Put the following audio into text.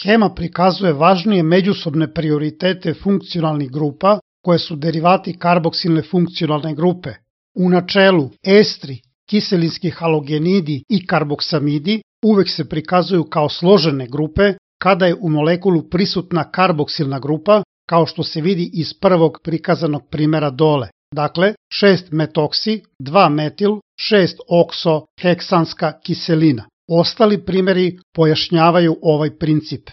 Schema prikazuje važnije međusobne prioritete funkcionalnih grupa koje su derivati karboksilne funkcionalne grupe. U načelu, estri, kiselinski halogenidi i karboksamidi uvek se prikazuju kao složene grupe kada je u molekulu prisutna karboksilna grupa, kao što se vidi iz prvog prikazanog primera dole. Dakle, 6-metoksi, 2-metil, 6-okso heksanska kiselina. Ostali primeri pojašnjavaju ovaj princip.